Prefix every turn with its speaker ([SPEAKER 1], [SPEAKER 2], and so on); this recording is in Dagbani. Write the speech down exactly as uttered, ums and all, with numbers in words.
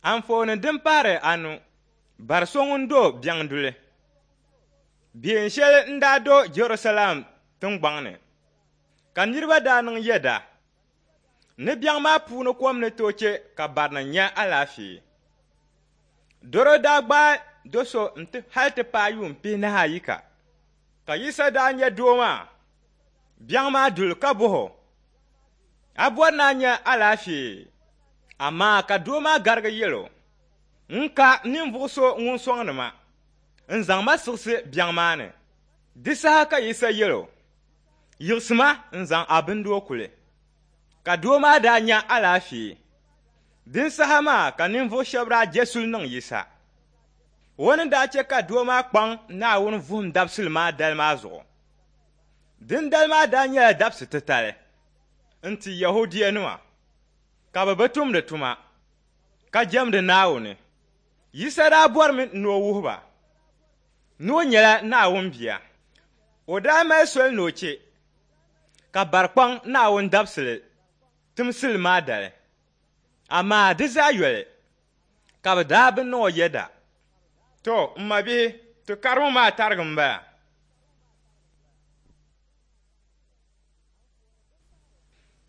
[SPEAKER 1] Anfooni din pahiri anu, bari so ŋun do biɛŋ duli. Biɛn shɛli n-daa do Jɛrusalɛm tiŋgbɔŋ ni, ka niriba daa niŋ yɛda ni biɛŋ maa puuni kom ni tooi chɛ ka barinim nya alaafee. Dɔro daa gbaai do so nti hal ti paai yuun pihinahi ayika, ka Yisa daa nya doo maa biɛŋ maa duli ka bɔh o, A bɔri ni a nya alaafee? Amaa ka doo maa garigi yɛl o, N ka ninvuɣ so ŋun sɔŋdi ma n-zaŋ ma siɣisi biɛŋ maa ni. Di saha ka Yisa yɛl o, Yiɣisima n-zaŋ a bindoo kuli. Ka doo maa daa nya alaafee. Din saha maa ka ninvuɣ shɛba daa je suli niŋ Yisa. O ni daa chɛ ka doo maa kpaŋ Naawuni vuhim dabisili maa dali maa zuɣu. Dindali maa daa nyɛla dabisi titali n-ti Yɛhudianima, ka bɛ bi tumdi tuma, ka jɛmdi Naawuni. Yisa daa bɔrimi ni o wuhi ba ni o nyɛla Naawuni Bia. O daa mali soli ni o chɛ ka bari kpaŋ Naawuni dabisili timsili maa dali, amaa di zaa yoli ka bɛ daa bi niŋ o yɛda. To, m mabihi, ti karimu maa tarigi m-bala.